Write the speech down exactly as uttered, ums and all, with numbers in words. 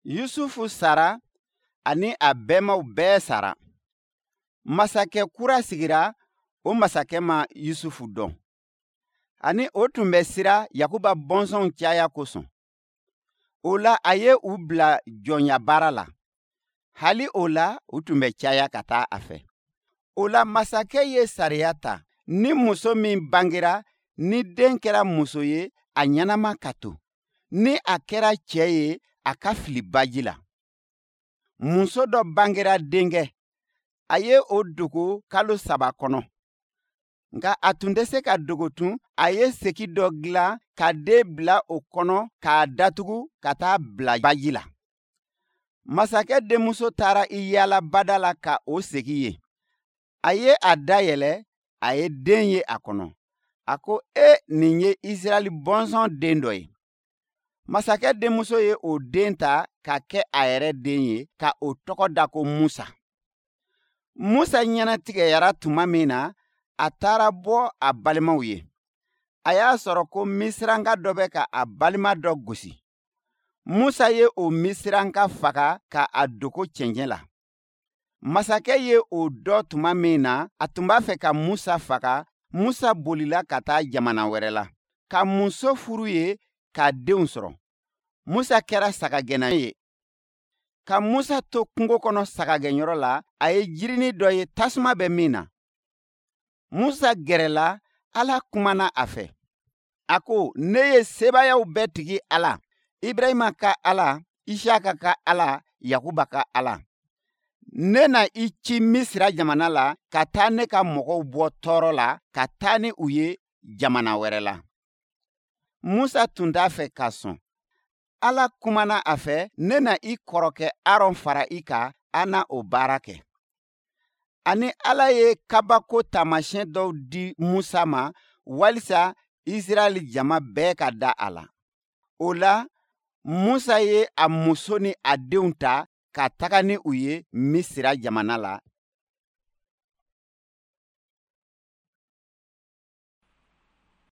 Yusufu sara ani a bɛnbaw bɛɛ sara. Masakɛ kura sigira, o masakɛ ma Yusufu dɔn. Ani o tun bɛ siran Yakuba bɔnsɔnw caya kosɔn. O la a ye u bila jɔnya baara la. Hali o la u tun bɛ caya ka taa a fɛ. O la masakɛ ye sariya ta, ni muso min bangera, ni den kɛra muso ye, a ɲɛnama ka to. Ni a kɛra cɛ ye, a ka fili baji la. Muso dɔ bangera denkɛ, a ye o dogo kalo saba kɔnɔ. Nka a tun tɛ se ka dogo tun, a ye segi dɔ dilan ka den bila o kɔnɔ k'a datugu ka taa bila baji la. Masakɛ denmuso taara i yaala bada la ka o segi ye. A ye a dayɛlɛ, a ye den ye a kɔnɔ. A ko, e, nin ye Israɛl bɔnsɔn den dɔ ye. Masakɛ denmuso ye o den ta ka kɛ a yɛrɛ den ye, ka o tɔgɔ da ko Musa. Musa ɲɛnatigɛyara tuma min na, a taara bɔ a balimaw ye. A y'a sɔrɔ ko Misiranka dɔ bɛ ka a balima dɔ gosi. Musa ye o Misiranka faga ka a dogo cɛncɛn la. Masakɛ ye o dɔn tuma min na, a tun b'a fɛ ka Musa faga. Musa bolila ka taa jamana wɛrɛ la, ka muso furu ye, ka denw sɔrɔ. Musa kɛra sagagɛnna ye. Ka Musa to kungo kɔnɔ sagagɛnyɔrɔ la, a ye jirinin dɔ ye tasuma bɛ min na. Musa gɛrɛla, Ala kumana a fɛ. A ko, ne ye sebaayaw bɛɛ tigi Ala, Ibrahima ka Ala, Isaka ka Ala, Yakuba ka Ala. Ne na i ci Misira jamana la ka taa ne ka mɔgɔw bɔ tɔɔrɔ la, ka taa ni u ye jamana wɛrɛ la. Musa tun t'a fɛ ka sɔn. Ala kumana a fɛ, ne na i kɔrɔkɛ Aron fara i kan, an na o baara kɛ. Ani Ala ye kabako taamasiyɛn dɔw di Musa ma walisa Israɛl jama bɛɛ ka da a la. O la, Musa ye a muso ni a denw ta ka taga ni u ye Misira jamana la.